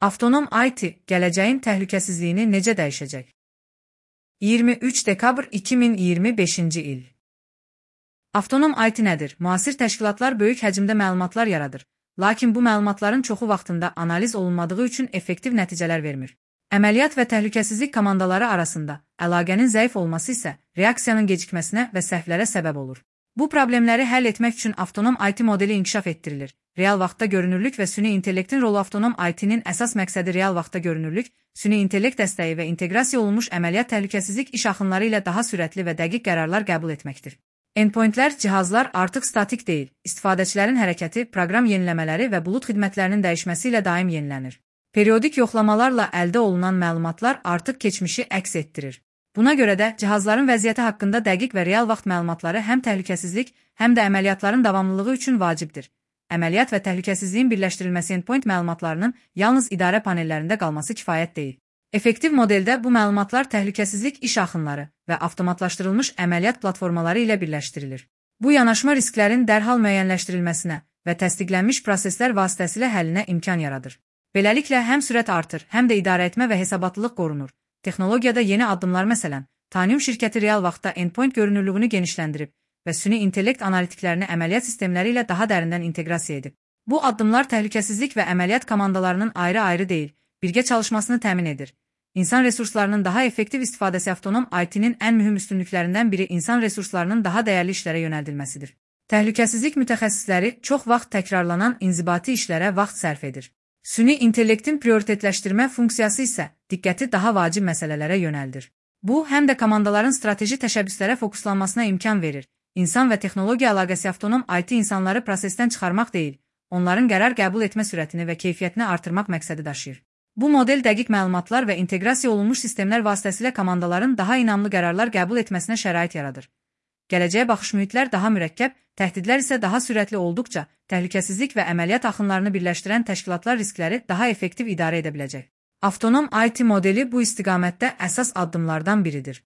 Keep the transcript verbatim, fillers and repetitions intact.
Avtonom I T gələcəyin təhlükəsizliyini necə dəyişəcək? iyirmi üç dekabr iki min iyirmi beşinci il. Avtonom I T nədir? Müasir təşkilatlar böyük həcmdə məlumatlar yaradır, lakin bu məlumatların çoxu vaxtında analiz olunmadığı üçün effektiv nəticələr vermir. Əməliyyat və təhlükəsizlik komandaları arasında əlaqənin zəif olması isə reaksiyanın gecikməsinə və səhvlərə səbəb olur. Bu problemləri həll etmək üçün avtonom I T modeli inkişaf etdirilir. Real vaxtda görünürlük və süni intellektin rolu avtonom I T'nin əsas məqsədi real vaxtda görünürlük, süni intellekt dəstəyi və inteqrasiya olunmuş əməliyyat təhlükəsizlik iş axınları ilə daha sürətli və dəqiq qərarlar qəbul etməkdir. Endpointlər, cihazlar artıq statik deyil, istifadəçilərin hərəkəti, proqram yeniləmələri və bulut xidmətlərinin dəyişməsi ilə daim yenilənir. Periodik yoxlamalarla əldə olunan məlumatlar artıq keçmişi əks etdirir. Buna görə də cihazların vəziyyəti haqqında dəqiq və real vaxt məlumatları həm təhlükəsizlik, həm də əməliyyatların davamlılığı üçün vacibdir. Əməliyyat və təhlükəsizliyin birləşdirilməsi endpoint məlumatlarının yalnız idarə panellərində qalması kifayət deyil. Effektiv modeldə bu məlumatlar təhlükəsizlik iş axınları və avtomatlaşdırılmış əməliyyat platformaları ilə birləşdirilir. Bu yanaşma risklərin dərhal müəyyənləşdirilməsinə və təsdiqlənmiş proseslər vasitəsilə həllinə imkan yaradır. Beləliklə, həm sürət artır, həm də idarəetmə və hesabatlılıq qorunur. Texnologiyada yeni addımlar məsələn, Tanium şirkəti real vaxtda endpoint görünürlüyünü genişləndirib və süni intellekt analitiklərini əməliyyat sistemləri ilə daha dərindən inteqrasiya edib. Bu addımlar təhlükəsizlik və əməliyyat komandalarının ayrı-ayrı deyil, birgə çalışmasını təmin edir. İnsan resurslarının daha effektiv istifadəsi avtonom I T'nin ən mühüm üstünlüklərindən biri insan resurslarının daha dəyərli işlərə yönəldilməsidir. Təhlükəsizlik mütəxəssisləri çox vaxt təkrarlanan inzibati işlərə vaxt sərf edir. Süni intellektin prioritetləşdirmə funksiyası isə diqqəti daha vacib məsələlərə yönəldir. Bu, həm də komandaların strateji təşəbbüslərə fokuslanmasına imkan verir. İnsan və texnologiya əlaqəsi avtonom I T insanları prosesdən çıxarmaq deyil, onların qərar qəbul etmə sürətini və keyfiyyətini artırmaq məqsədi daşıyır. Bu model dəqiq məlumatlar və inteqrasiya olunmuş sistemlər vasitəsilə komandaların daha inamlı qərarlar qəbul etməsinə şərait yaradır. Gələcəyə baxış mühitlər daha mürəkkəb, təhdidlər isə daha sürətli olduqca, təhlükəsizlik və əməliyyat axınlarını birləşdirən təşkilatlar riskləri daha effektiv idarə edə biləcək. Avtonom I T modeli bu istiqamətdə əsas addımlardan biridir.